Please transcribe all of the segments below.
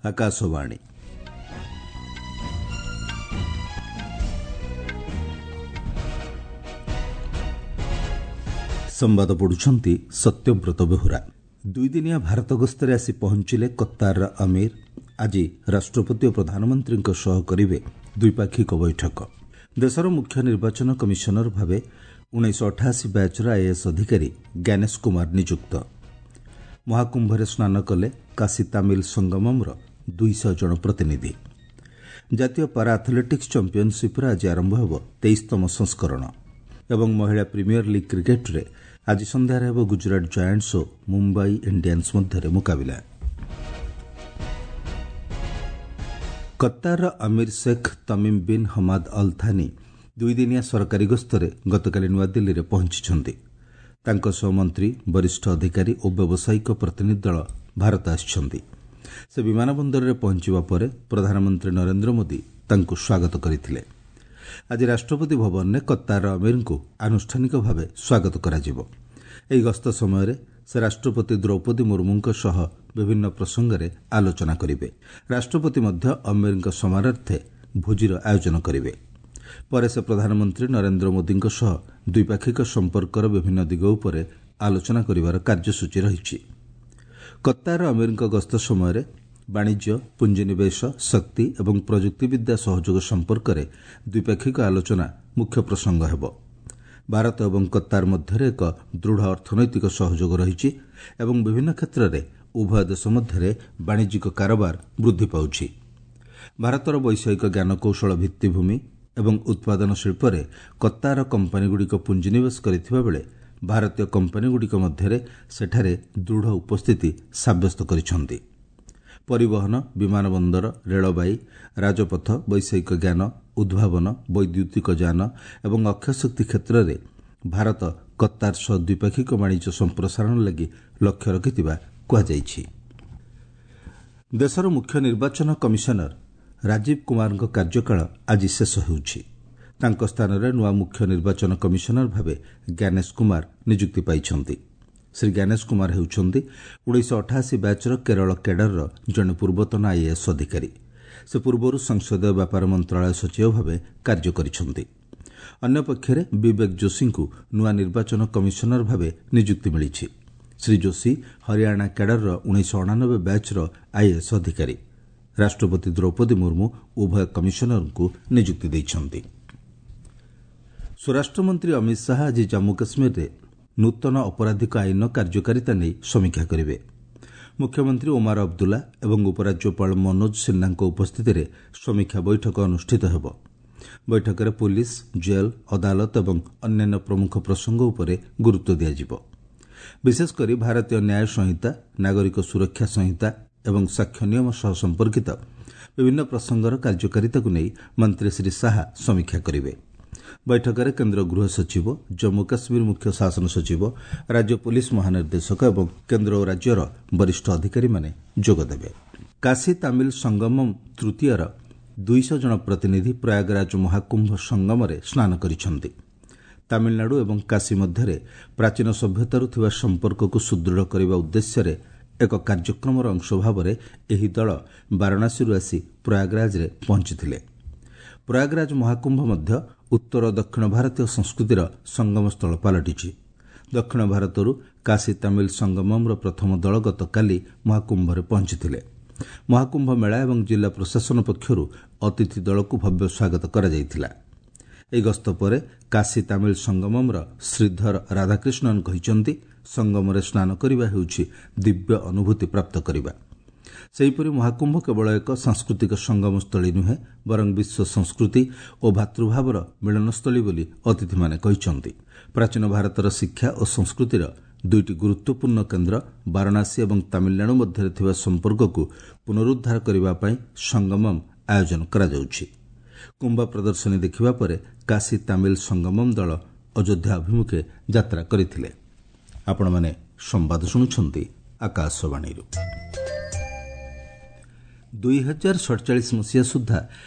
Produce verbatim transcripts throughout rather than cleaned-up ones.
ଆକାଶବାଣୀ। ସମ୍ବାଦ ପଢୁଛନ୍ତି ସତ୍ୟବ୍ରତ ବେହୁରା। ଦୁଇଦିନିଆ ଭାରତ ଗସ୍ତରେ ଆସି ପହଞ୍ଚିଲେ କତ୍ତାରର ଅମୀର। ଆଜି ରାଷ୍ଟ୍ରପତି ଓ ପ୍ରଧାନମନ୍ତ୍ରୀଙ୍କ ସହ କରିବେ ଦ୍ୱିପାକ୍ଷିକ ବୈଠକ। ଦେଶର ମୁଖ୍ୟ ନିର୍ବାଚନ କମିଶନର ଭାବେ ଉଣେଇଶହ ଅଠାଅଶୀ ବ୍ୟାଚ୍ର ଆଇଏଏସ୍ ଅଧିକାରୀ ଜ୍ଞାନେଶ କୁମାର ନିଯୁକ୍ତ। ମହାକୁମ୍ଭରେ ସ୍ନାନ କଲେ କାଶୀ ତାମିଲ ସଙ୍ଗମମ୍ର ଦୁଇଶହ ଜଣ ପ୍ରତିନିଧି। ଜାତୀୟ ପାରା ଆଥଲେଟିକ୍ସ ଚାମ୍ପିୟନସିପ୍ର ଆଜି ଆରମ୍ଭ ହେବ ତେଇଶତମ ସଂସ୍କରଣ। ଏବଂ ମହିଳା ପ୍ରିମିୟର ଲିଗ୍ କ୍ରିକେଟ୍ରେ ଆଜି ସନ୍ଧ୍ୟାରେ ହେବ ଗୁଜରାଟ ଜାଏଣ୍ଟସ୍ ଓ ମୁମ୍ବାଇ ଇଣ୍ଡିଆନ୍ସ ମଧ୍ୟରେ ମୁକାବିଲା। କତ୍ତାରର ଅମୀର Sheikh Tamim bin Hamad Al Thani ଦୁଇଦିନିଆ ସରକାରୀ ଗସ୍ତରେ ଗତକାଲି ନୂଆଦିଲ୍ଲୀରେ ପହଞ୍ଚିଛନ୍ତି। ତାଙ୍କ ସହ ମନ୍ତ୍ରୀ, ବରିଷ୍ଠ ଅଧିକାରୀ ଓ ବ୍ୟବସାୟିକ ପ୍ରତିନିଧି ଦଳ ଭାରତ ଆସିଛନ୍ତି। ସେ ବିମାନ ବନ୍ଦରରେ ପହଞ୍ଚିବା ପରେ ପ୍ରଧାନମନ୍ତ୍ରୀ ନରେନ୍ଦ୍ର ମୋଦି ତାଙ୍କୁ ସ୍ୱାଗତ କରିଥିଲେ। ଆଜି ରାଷ୍ଟ୍ରପତି ଭବନରେ କତ୍ତାରର ଅମୀରଙ୍କୁ ଆନୁଷ୍ଠାନିକ ଭାବେ ସ୍ୱାଗତ କରାଯିବ। ଏହି ଗସ୍ତ ସମୟରେ ସେ ରାଷ୍ଟ୍ରପତି ଦ୍ରୌପଦୀ ମୁର୍ମୁଙ୍କ ସହ ବିଭିନ୍ନ ପ୍ରସଙ୍ଗରେ ଆଲୋଚନା କରିବେ। ରାଷ୍ଟ୍ରପତି ମଧ୍ୟ ଅମୀରଙ୍କ ସମ୍ମାନାର୍ଥେ ଭୋଜିର ଆୟୋଜନ କରିବେ। ପରେ ସେ ପ୍ରଧାନମନ୍ତ୍ରୀ ନରେନ୍ଦ୍ର ମୋଦିଙ୍କ ସହ ଦ୍ୱିପାକ୍ଷିକ ସମ୍ପର୍କର ବିଭିନ୍ନ ଦିଗ ଉପରେ ଆଲୋଚନା କରିବାର କାର୍ଯ୍ୟସୂଚୀ ରହିଛି। କତ୍ତାରର ଅମୀରଙ୍କ ଗସ୍ତ ସମୟରେ ବାଣିଜ୍ୟ, ପୁଞ୍ଜିନିବେଶ, ଶକ୍ତି ଏବଂ ପ୍ରଯୁକ୍ତିବିଦ୍ୟା ସହଯୋଗ ସମ୍ପର୍କରେ ଦ୍ୱିପାକ୍ଷିକ ଆଲୋଚନା ମୁଖ୍ୟ ପ୍ରସଙ୍ଗ ହେବ। ଭାରତ ଏବଂ କତ୍ତାର ମଧ୍ୟରେ ଏକ ଦୃଢ଼ ଅର୍ଥନୈତିକ ସହଯୋଗ ରହିଛି ଏବଂ ବିଭିନ୍ନ କ୍ଷେତ୍ରରେ ଉଭୟ ଦେଶ ମଧ୍ୟରେ ବାଣିଜ୍ୟିକ କାରବାର ବୃଦ୍ଧି ପାଉଛି। ଭାରତର ବୈଷୟିକ ଜ୍ଞାନକୌଶଳ ଭିତ୍ତିଭୂମି ଏବଂ ଉତ୍ପାଦନ ଶିଳ୍ପରେ କତ୍ତାର କମ୍ପାନୀଗୁଡ଼ିକ ପୁଞ୍ଜିନିବେଶ କରିଥିବା ବେଳେ ଭାରତୀୟ କମ୍ପାନୀଗୁଡ଼ିକ ମଧ୍ୟରେ ସେଠାରେ ଦୃଢ଼ ଉପସ୍ଥିତି ସାବ୍ୟସ୍ତ କରିଛନ୍ତି। ପରିବହନ, ବିମାନ ବନ୍ଦର, ରେଳବାଇ, ରାଜପଥ, ବୈଷୟିକ ଜ୍ଞାନ, ଉଦ୍ଭାବନ, ବୈଦ୍ୟୁତିକ ଯାନ ଏବଂ ଅକ୍ଷୟ ଶକ୍ତି କ୍ଷେତ୍ରରେ ଭାରତ କତ୍ତାର ସହ ଦ୍ୱିପାକ୍ଷିକ ବାଣିଜ୍ୟ ସମ୍ପ୍ରସାରଣ ଲାଗି ଲକ୍ଷ୍ୟ ରଖିଥିବା କୁହାଯାଇଛି। ଦେଶର ମୁଖ୍ୟ ନିର୍ବାଚନ କମିଶନର ରାଜୀବ କୁମାରଙ୍କ କାର୍ଯ୍ୟକାଳ ଆଜି ଶେଷ ହେଉଛି। ତାଙ୍କ ସ୍ଥାନରେ ନୂଆ ମୁଖ୍ୟ ନିର୍ବାଚନ କମିଶନର ଭାବେ ଜ୍ଞାନେଶ କୁମାର ନିଯୁକ୍ତି ପାଇଛନ୍ତି। ଶ୍ରୀ ଜ୍ଞାନେଶ କୁମାର ହେଉଛନ୍ତି ଉଣେଇଶହ ଅଠାଅଶୀ ବ୍ୟାଚ୍ର କେରଳ କ୍ୟାଡରର ଜଣେ ପୂର୍ବତନ ଆଇଏଏସ୍ ଅଧିକାରୀ। ସେ ପୂର୍ବରୁ ସଂସଦୀୟ ବ୍ୟାପାର ମନ୍ତ୍ରଣାଳୟ ସଚିବ ଭାବେ କାର୍ଯ୍ୟ କରିଛନ୍ତି। ଅନ୍ୟପକ୍ଷରେ ବିବେକ ଯୋଶୀଙ୍କୁ ନୂଆ ନିର୍ବାଚନ କମିଶନର ଭାବେ ନିଯୁକ୍ତି ମିଳିଛି। ଶ୍ରୀ ଯୋଶୀ ହରିୟାଣା କ୍ୟାଡରର ଉଣେଇଶହ ଅଣାନବେ ବ୍ୟାଚ୍ର ଆଇଏଏସ୍ ଅଧିକାରୀ। ରାଷ୍ଟ୍ରପତି ଦ୍ରୌପଦୀ ମୁର୍ମୁ ଉଭୟ କମିଶନରଙ୍କୁ ନିଯୁକ୍ତି ଦେଇଛନ୍ତି। ସ୍ୱରାଷ୍ଟ୍ରମନ୍ତ୍ରୀ ଅମିତ ଶାହା ଆଜି ଜାମ୍ମୁ କାଶ୍ମୀରରେ ନୂତନ ଅପରାଧିକ ଆଇନର କାର୍ଯ୍ୟକାରିତା ନେଇ ସମୀକ୍ଷା କରିବେ। ମୁଖ୍ୟମନ୍ତ୍ରୀ ଓମାର ଅବଦୁଲ୍ଲା ଏବଂ ଉପରାଜ୍ୟପାଳ ମନୋଜ ସିହ୍ନାଙ୍କ ଉପସ୍ଥିତିରେ ସମୀକ୍ଷା ବୈଠକ ଅନୁଷ୍ଠିତ ହେବ। ବୈଠକରେ ପୁଲିସ୍, ଜେଲ୍, ଅଦାଲତ ଏବଂ ଅନ୍ୟାନ୍ୟ ପ୍ରମୁଖ ପ୍ରସଙ୍ଗ ଉପରେ ଗୁରୁତ୍ୱ ଦିଆଯିବ। ବିଶେଷକରି ଭାରତୀୟ ନ୍ୟାୟ ସଂହିତା, ନାଗରିକ ସୁରକ୍ଷା ସଂହିତା ଏବଂ ସାକ୍ଷ୍ୟ ନିୟମ ସହ ସମ୍ପର୍କିତ ବିଭିନ୍ନ ପ୍ରସଙ୍ଗର କାର୍ଯ୍ୟକାରିତାକୁ ନେଇ ମନ୍ତ୍ରୀ ଶ୍ରୀ ଶାହା ସମୀକ୍ଷା କରିବେ। ବୈଠକରେ କେନ୍ଦ୍ର ଗୃହ ସଚିବ, ଜମ୍ମୁ କାଶ୍ମୀର ମୁଖ୍ୟ ଶାସନ ସଚିବ, ରାଜ୍ୟ ପୁଲିସ୍ ମହାନିର୍ଦ୍ଦେଶକ ଏବଂ କେନ୍ଦ୍ର ଓ ରାଜ୍ୟର ବରିଷ୍ଠ ଅଧିକାରୀମାନେ ଯୋଗଦେବେ। କାଶୀ ତାମିଲ ସଙ୍ଗମମ୍ ତୃତୀୟର ଦୁଇଶହ ଜଣ ପ୍ରତିନିଧି ପ୍ରୟାଗରାଜ ମହାକୁମ୍ଭ ସଙ୍ଗମରେ ସ୍ନାନ କରିଛନ୍ତି। ତାମିଲନାଡୁ ଏବଂ କାଶୀ ମଧ୍ୟରେ ପ୍ରାଚୀନ ସଭ୍ୟତାରୁ ଥିବା ସମ୍ପର୍କକୁ ସୁଦୃଢ଼ କରିବା ଉଦ୍ଦେଶ୍ୟରେ ଏକ କାର୍ଯ୍ୟକ୍ରମର ଅଂଶ ଭାବରେ ଏହି ଦଳ ବାରାଣସୀରୁ ଆସି ପ୍ରୟାଗରାଜରେ ପହଞ୍ଚିଥିଲେ। ପ୍ରୟାଗରାଜ ମହାକୁମ୍ଭ ମଧ୍ୟ ଉତ୍ତର ଓ ଦକ୍ଷିଣ ଭାରତୀୟ ସଂସ୍କୃତିର ସଙ୍ଗମସ୍ଥଳ ପାଲଟିଛି। ଦକ୍ଷିଣ ଭାରତରୁ କାଶୀ ତାମିଲ ସଙ୍ଗମମ୍ର ପ୍ରଥମ ଦଳ ଗତକାଲି ମହାକୁମ୍ଭରେ ପହଞ୍ଚିଥିଲେ। ମହାକୁମ୍ଭ ମେଳା ଏବଂ ଜିଲ୍ଲା ପ୍ରଶାସନ ପକ୍ଷରୁ ଅତିଥି ଦଳକୁ ଭବ୍ୟ ସ୍ୱାଗତ କରାଯାଇଥିଲା। ଏହି ଗସ୍ତ ପରେ କାଶୀ ତାମିଲ ସଙ୍ଗମମ୍ର ଶ୍ରୀଧର ରାଧାକ୍ରିଷ୍ଣନ୍ କହିଛନ୍ତି, ସଙ୍ଗମରେ ସ୍ନାନ କରିବା ହେଉଛି ଦିବ୍ୟ ଅନୁଭୂତି ପ୍ରାପ୍ତ କରିବା। ସେହିପରି ମହାକୁମ୍ଭ କେବଳ ଏକ ସାଂସ୍କୃତିକ ସଙ୍ଗମସ୍ଥଳୀ ନୁହେଁ, ବରଂ ବିଶ୍ୱ ସଂସ୍କୃତି ଓ ଭାତୃଭାବର ମିଳନସ୍ଥଳୀ ବୋଲି ଅତିଥିମାନେ କହିଛନ୍ତି। ପ୍ରାଚୀନ ଭାରତର ଶିକ୍ଷା ଓ ସଂସ୍କୃତିର ଦୁଇଟି ଗୁରୁତ୍ୱପୂର୍ଣ୍ଣ କେନ୍ଦ୍ର ବାରାଣସୀ ଏବଂ ତାମିଲନାଡୁ ମଧ୍ୟରେ ଥିବା ସମ୍ପର୍କକୁ ପୁନରୁଦ୍ଧାର କରିବା ପାଇଁ ସଙ୍ଗମମ୍ ଆୟୋଜନ କରାଯାଉଛି। କୁମ୍ଭ ପ୍ରଦର୍ଶନୀ ଦେଖିବା ପରେ କାଶୀ ତାମିଲ ସଙ୍ଗମମ୍ ଦଳ ଅଯୋଧ୍ୟା ଅଭିମୁଖେ ଯାତ୍ରା କରିଥିଲେ। ଆପଣମାନେ ସମ୍ବାଦ ଶୁଣୁଛନ୍ତି ଆକାଶବାଣୀରୁ। ଦୁଇ ହଜାର ସଡ଼ଚାଳିଶ ମସିହା ସୁଦ୍ଧା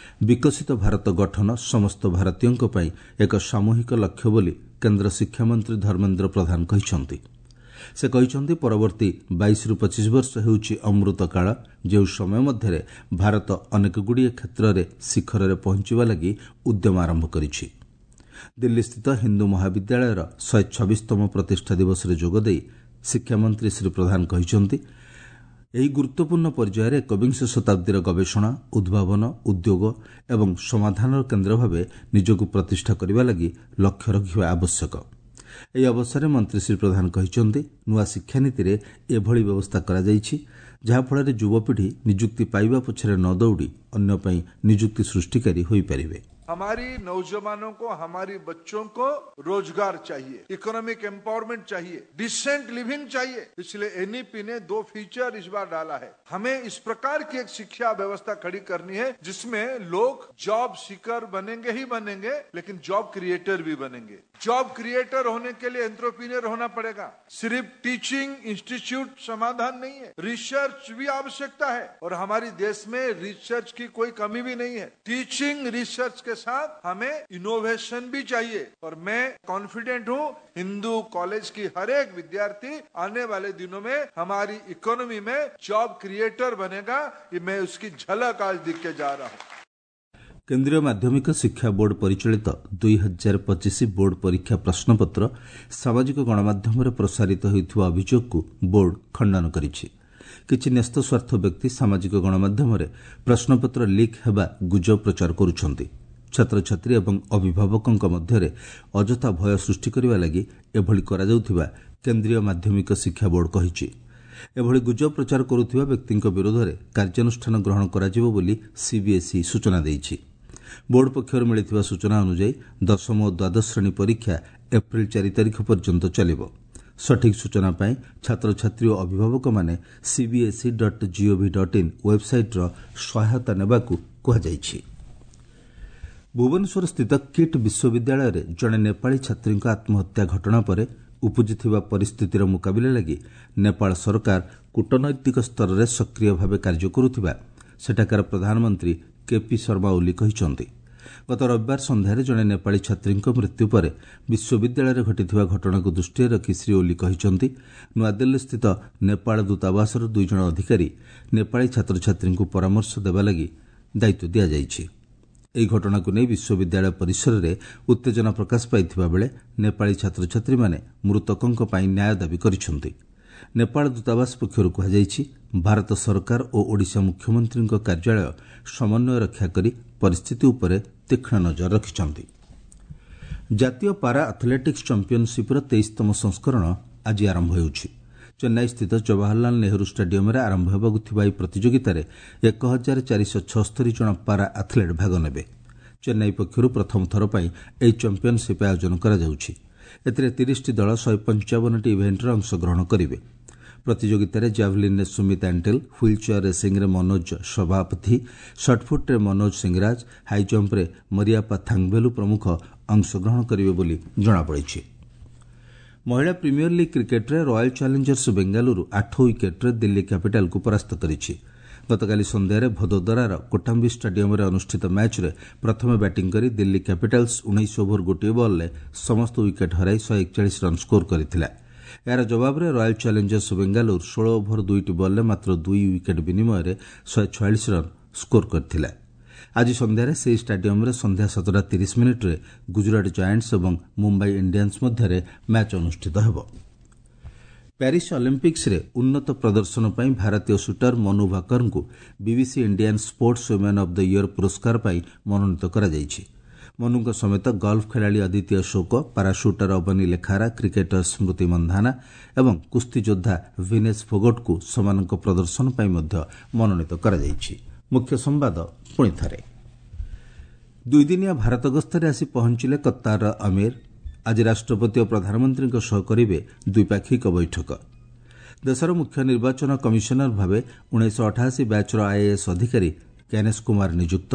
ବିକଶିତ ଭାରତ ଗଠନ ସମସ୍ତ ଭାରତୀୟଙ୍କ ପାଇଁ ଏକ ସାମୂହିକ ଲକ୍ଷ୍ୟ ବୋଲି କେନ୍ଦ୍ର ଶିକ୍ଷାମନ୍ତ୍ରୀ ଧର୍ମେନ୍ଦ୍ର ପ୍ରଧାନ କହିଛନ୍ତି। ସେ କହିଛନ୍ତି, ପରବର୍ତ୍ତୀ ବାଇଶରୁ ପଚିଶ ବର୍ଷ ହେଉଛି ଅମୃତ କାଳ, ଯେଉଁ ସମୟ ମଧ୍ୟରେ ଭାରତ ଅନେକଗୁଡ଼ିଏ କ୍ଷେତ୍ରରେ ଶିଖରରେ ପହଞ୍ଚିବା ଲାଗି ଉଦ୍ୟମ ଆରମ୍ଭ କରିଛି। ଦିଲ୍ଲୀସ୍ଥିତ ହିନ୍ଦୁ ମହାବିଦ୍ୟାଳୟର ଶହେ ଛବିଶତମ ପ୍ରତିଷ୍ଠା ଦିବସରେ ଯୋଗଦେଇ ଶିକ୍ଷାମନ୍ତ୍ରୀ ଶ୍ରୀ ପ୍ରଧାନ କହିଛନ୍ତି, ଏହି ଗୁରୁତ୍ୱପୂର୍ଣ୍ଣ ପର୍ଯ୍ୟାୟରେ ଏକବିଂଶ ଶତାବ୍ଦୀର ଗବେଷଣା, ଉଦ୍ଭାବନ, ଉଦ୍ୟୋଗ ଏବଂ ସମାଧାନର କେନ୍ଦ୍ର ଭାବେ ନିଜକୁ ପ୍ରତିଷ୍ଠା କରିବା ଲାଗି ଲକ୍ଷ୍ୟ ରଖିବା ଆବଶ୍ୟକ। ଏହି ଅବସରରେ ମନ୍ତ୍ରୀ ଶ୍ରୀ ପ୍ରଧାନ କହିଛନ୍ତି, ନୂଆ ଶିକ୍ଷାନୀତିରେ ଏଭଳି ବ୍ୟବସ୍ଥା କରାଯାଇଛି ଯାହାଫଳରେ ଯୁବପିଢ଼ି ନିଯୁକ୍ତି ପାଇବା ପଛରେ ନ ଦୌଡ଼ି ଅନ୍ୟ ପାଇଁ ନିଯୁକ୍ତି ସୃଷ୍ଟିକାରୀ ହୋଇପାରିବେ। हमारी नौजवानों को, हमारी बच्चों को रोजगार चाहिए, इकोनॉमिक एम्पावरमेंट चाहिए, डिसेंट लिविंग चाहिए। इसलिए एनईपी ने दो फीचर इस बार डाला है। हमें इस प्रकार की एक शिक्षा व्यवस्था खड़ी करनी है जिसमें लोग जॉब सीकर बनेंगे ही बनेंगे, लेकिन जॉब क्रिएटर भी बनेंगे। जॉब क्रिएटर होने के लिए एंटरप्रेन्योर होना पड़ेगा। सिर्फ टीचिंग इंस्टीट्यूट समाधान नहीं है, रिसर्च भी आवश्यकता है और हमारी देश में रिसर्च की कोई कमी भी नहीं है। टीचिंग रिसर्च के साथ हमें इनोवेशन भी चाहिए और मैं कॉन्फिडेंट हूँ हिंदू कॉलेज की हर एक विद्यार्थी आने वाले दिनों में हमारी इकोनॉमी में जॉब क्रिएटर बनेगा। ये मैं उसकी झलक आज दिख के जा रहा हूँ। କେନ୍ଦ୍ରୀୟ ମାଧ୍ୟମିକ ଶିକ୍ଷା ବୋର୍ଡ ପରିଚାଳିତ ଦୁଇ ହଜାର ପଚିଶ ବୋର୍ଡ ପରୀକ୍ଷା ପ୍ରଶ୍ନପତ୍ର ସାମାଜିକ ଗଣମାଧ୍ୟମରେ ପ୍ରସାରିତ ହେଉଥିବା ଅଭିଯୋଗକୁ ବୋର୍ଡ ଖଣ୍ଡନ କରିଛି। କିଛି ନ୍ୟସ୍ତସ୍ୱାର୍ଥ ବ୍ୟକ୍ତି ସାମାଜିକ ଗଣମାଧ୍ୟମରେ ପ୍ରଶ୍ନପତ୍ର ଲିକ୍ ହେବା ଗୁଜବ ପ୍ରଚାର କରୁଛନ୍ତି। ଛାତ୍ରଛାତ୍ରୀ ଏବଂ ଅଭିଭାବକଙ୍କ ମଧ୍ୟରେ ଅଯଥା ଭୟ ସୃଷ୍ଟି କରିବା ଲାଗି ଏଭଳି କରାଯାଉଥିବା କେନ୍ଦ୍ରୀୟ ମାଧ୍ୟମିକ ଶିକ୍ଷା ବୋର୍ଡ କହିଛି। ଏଭଳି ଗୁଜବ ପ୍ରଚାର କରୁଥିବା ବ୍ୟକ୍ତିଙ୍କ ବିରୋଧରେ କାର୍ଯ୍ୟାନୁଷ୍ଠାନ ଗ୍ରହଣ କରାଯିବ ବୋଲି ସିବିଏସ୍ଇ ସୂଚନା ଦେଇଛି। ବୋର୍ଡ ପକ୍ଷରୁ ମିଳିଥିବା ସୂଚନା ଅନୁଯାୟୀ ଦଶମ ଓ ଦ୍ୱାଦଶ ଶ୍ରେଣୀ ପରୀକ୍ଷା ଏପ୍ରିଲ ଚାରି ତାରିଖ ପର୍ଯ୍ୟନ୍ତ ଚାଲିବ। ସଠିକ୍ ସୂଚନା ପାଇଁ ଛାତ୍ରଛାତ୍ରୀ ଓ ଅଭିଭାବକମାନେ CBSE dot gov dot in ୱେବ୍ସାଇଟ୍ର ସହାୟତା ନେବାକୁ କୁହାଯାଇଛି। ଭୁବନେଶ୍ୱରସ୍ଥିତ କିଟ୍ ବିଶ୍ୱବିଦ୍ୟାଳୟରେ ଜଣେ ନେପାଳୀ ଛାତ୍ରୀଙ୍କ ଆତ୍ମହତ୍ୟା ଘଟଣା ପରେ ଉପୁଜିଥିବା ପରିସ୍ଥିତିର ମୁକାବିଲା ଲାଗି ନେପାଳ ସରକାର କୂଟନୈତିକ ସ୍ତରରେ ସକ୍ରିୟ ଭାବେ କାର୍ଯ୍ୟ କରୁଥିବା ସେଠାକାର ପ୍ରଧାନମନ୍ତ୍ରୀ କେପି ଶର୍ମା ଓଲି କହିଛନ୍ତି। ଗତ ରବିବାର ସନ୍ଧ୍ୟାରେ ଜଣେ ନେପାଳୀ ଛାତ୍ରୀଙ୍କ ମୃତ୍ୟୁ ପରେ ବିଶ୍ୱବିଦ୍ୟାଳୟରେ ଘଟିଥିବା ଘଟଣାକୁ ଦୃଷ୍ଟିରେ ରଖି ଶ୍ରୀ ଓଲି କହିଛନ୍ତି, ନୂଆଦିଲ୍ଲୀସ୍ଥିତ ନେପାଳ ଦୂତାବାସର ଦୁଇ ଜଣ ଅଧିକାରୀ ନେପାଳୀ ଛାତ୍ରଛାତ୍ରୀଙ୍କୁ ପରାମର୍ଶ ଦେବା ଲାଗି ଦାୟିତ୍ୱ ଦିଆଯାଇଛି। ଏହି ଘଟଣାକୁ ନେଇ ବିଶ୍ୱବିଦ୍ୟାଳୟ ପରିସରରେ ଉତ୍ତେଜନା ପ୍ରକାଶ ପାଇଥିବା ବେଳେ ନେପାଳୀ ଛାତ୍ରଛାତ୍ରୀମାନେ ମୃତକଙ୍କ ପାଇଁ ନ୍ୟାୟ ଦାବି କରିଛନ୍ତି। ନେପାଳ ଦୂତାବାସ ପକ୍ଷରୁ କୁହାଯାଇଛି, ଭାରତ ସରକାର ଓ ଓଡ଼ିଶା ମୁଖ୍ୟମନ୍ତ୍ରୀଙ୍କ କାର୍ଯ୍ୟାଳୟ ସମନ୍ୱୟ ରକ୍ଷା କରି ପରିସ୍ଥିତି ଉପରେ ତୀକ୍ଷ୍ଣ ନଜର ରଖିଛନ୍ତି। ଜାତୀୟ ପାରା ଆଥଲେଟିକ୍ସ ଚାମ୍ପିୟନସିପ୍ର ତେଇଶତମ ସଂସ୍କରଣ ଆଜି ଆରମ୍ଭ ହେଉଛି। ଚେନ୍ନାଇସ୍ଥିତ ଜବାହରଲାଲ ନେହେରୁ ଷ୍ଟାଡିୟମରେ ଆରମ୍ଭ ହେବାକୁ ଥିବା ଏହି ପ୍ରତିଯୋଗିତାରେ ଏକ ହଜାର ଚାରିଶହ ଛସ୍ତରୀ ଜଣ ପାରା ଆଥଲେଟ୍ ଭାଗ ନେବେ। ଚେନ୍ନାଇ ପକ୍ଷରୁ ପ୍ରଥମ ଥର ପାଇଁ ଏହି ଚାମ୍ପିୟନସିପ୍ ଆୟୋଜନ କରାଯାଉଛି। ଏଥିରେ ତିରିଶଟି ଦଳ ଶହେ ପଞ୍ଚାବନଟି ଇଭେଣ୍ଟରେ ଅଂଶଗ୍ରହଣ କରିବେ। ପ୍ରତିଯୋଗିତାରେ ଜାଭଲିନ୍ରେ ସୁମିତ ଆଣ୍ଟେଲ, ହ୍ୱିଲ୍ ଚେୟାର ରେସିଂରେ ମନୋଜ ସଭାପତି, ସଟ୍ପୁଟ୍ରେ ମନୋଜ ସିଂରାଜ, ହାଇଜମ୍ପରେ ମରିୟାପା ଥାଙ୍ଗଭେଲୁ ପ୍ରମୁଖ ଅଂଶଗ୍ରହଣ କରିବେ ବୋଲି ଜଣାପଡ଼ିଛି। ମହିଳା ପ୍ରିମିୟର ଲିଗ୍ କ୍ରିକେଟ୍ରେ ରୟାଲ୍ ଚ୍ୟାଲେଞ୍ଜର୍ସ ବେଙ୍ଗାଲୁରୁ ଆଠ ୱିକେଟ୍ରେ ଦିଲ୍ଲୀ କ୍ୟାପିଟାଲ୍କୁ ପରାସ୍ତ କରିଛି। ଗତକାଲି ସନ୍ଧ୍ୟାରେ ଭଦୋଦରାର କୋଟାମ୍ବି ଷ୍ଟାଡିୟମରେ ଅନୁଷ୍ଠିତ ମ୍ୟାଚ୍ରେ ପ୍ରଥମେ ବ୍ୟାଟିଂ କରି ଦିଲ୍ଲୀ କ୍ୟାପିଟାଲ୍ସ ଉଣେଇଶ ଓଭର ଗୋଟିଏ ବଲ୍ରେ ସମସ୍ତ ୱିକେଟ୍ ହରାଇ ଶହେ ଏକଚାଳିଶ ରନ୍ ସ୍କୋର କରିଥିଲା। ଏହାର ଜବାବରେ ରୟାଲ୍ ଚ୍ୟାଲେଞ୍ଜର୍ସ ବେଙ୍ଗାଲୁରୁ ଷୋହଳ ଓଭର ଦୁଇଟି ବଲ୍ରେ ମାତ୍ର ଦୁଇ ୱିକେଟ୍ ବିନିମୟରେ ଶହେ ଛୟାଳିଶ ରନ୍ ସ୍କୋର କରିଥିଲା। ଆଜି ସନ୍ଧ୍ୟାରେ ସେହି ଷ୍ଟାଡିୟମରେ ସନ୍ଧ୍ୟା ସାତଟା ତିରିଶ ମିନିଟ୍ରେ ଗୁଜରାଟ ଜାଏଣ୍ଟସ୍ ଏବଂ ମୁମ୍ବାଇ ଇଣ୍ଡିଆନ୍ସ ମଧ୍ୟରେ ମ୍ୟାଚ୍ ଅନୁଷ୍ଠିତ ହେବ। ପ୍ୟାରିସ୍ ଅଲିମ୍ପିକ୍ସରେ ଉନ୍ନତ ପ୍ରଦର୍ଶନ ପାଇଁ ଭାରତୀୟ ସୁଟର ମନୁ ଭାକରଙ୍କୁ BBC Indian sports women of the year ପୁରସ୍କାର ପାଇଁ ମନୋନୀତ କରାଯାଇଛି। ମନୁଙ୍କ ସମେତ ଗଲ୍ଫ ଖେଳାଳି ଅଦିତି ଅଶୋକ, ପାରାସୁଟର ଅବନୀ ଲେଖାରା, କ୍ରିକେଟର ସ୍ମୃତି ମନ୍ଧାନା ଏବଂ କୁସ୍ତିଯୋଦ୍ଧା ଭିନେଶ ଫୋଗଟଙ୍କୁ ସେମାନଙ୍କ ପ୍ରଦର୍ଶନ ପାଇଁ ମଧ୍ୟ ମନୋନୀତ କରାଯାଇଛି। ମୁଖ୍ୟ ସମ୍ବାଦ ପୁଣି ଥରେ। ଦୁଇଦିନିଆ ଭାରତ ଗସ୍ତରେ ଆସି ପହଞ୍ଚିଲେ କତ୍ତାରର ଅମୀର। ଆଜି ରାଷ୍ଟ୍ରପତି ଓ ପ୍ରଧାନମନ୍ତ୍ରୀଙ୍କ ସହ କରିବେ ଦ୍ୱିପାକ୍ଷିକ ବୈଠକ। ଦେଶର ମୁଖ୍ୟ ନିର୍ବାଚନ କମିଶନର ଭାବେ ଉଣେଇଶହ ଅଠାଅଶୀ ବ୍ୟାଚ୍ର ଆଇଏଏସ୍ ଅଧିକାରୀ ଜ୍ଞାନେଶ କୁମାର ନିଯୁକ୍ତ।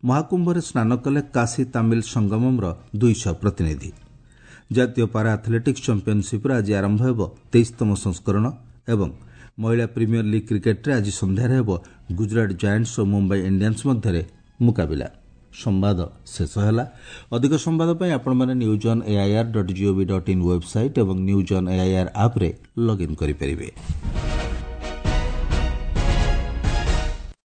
ମହାକୁମ୍ଭରେ ସ୍ନାନ କଲେ କାଶୀ ତାମିଲ ସଙ୍ଗମମ୍ର ଦୁଇଶହ ପ୍ରତିନିଧି। ଜାତୀୟ ପାରା ଆଥଲେଟିକ୍ସ ଚାମ୍ପିୟନସିପ୍ର ଆଜି ଆରମ୍ଭ ହେବ ତେଇଶତମ ସଂସ୍କରଣ ଏବଂ ମହିଳା ପ୍ରିମିୟର ଲିଗ୍ କ୍ରିକେଟ୍ରେ ଆଜି ସନ୍ଧ୍ୟାରେ ହେବ ଗୁଜରାଟ ଜାଏଣ୍ଟସ୍ ଓ ମୁମ୍ବାଇ ଇଣ୍ଡିଆନ୍ସ ମଧ୍ୟରେ ମୁକାବିଲା। ସମ୍ବାଦ ଶେଷ ହେଲା। ଅଧିକ ସମ୍ବାଦ ପାଇଁ ଆପଣମାନେ news on AIR dot GOV dot in website ଏବଂ ନ୍ୟୁଜ୍ ଅନ୍ ଏଆଇଆର୍ ଆପ୍ରେ ଲଗ୍ଇନ୍ କରିପାରିବେ।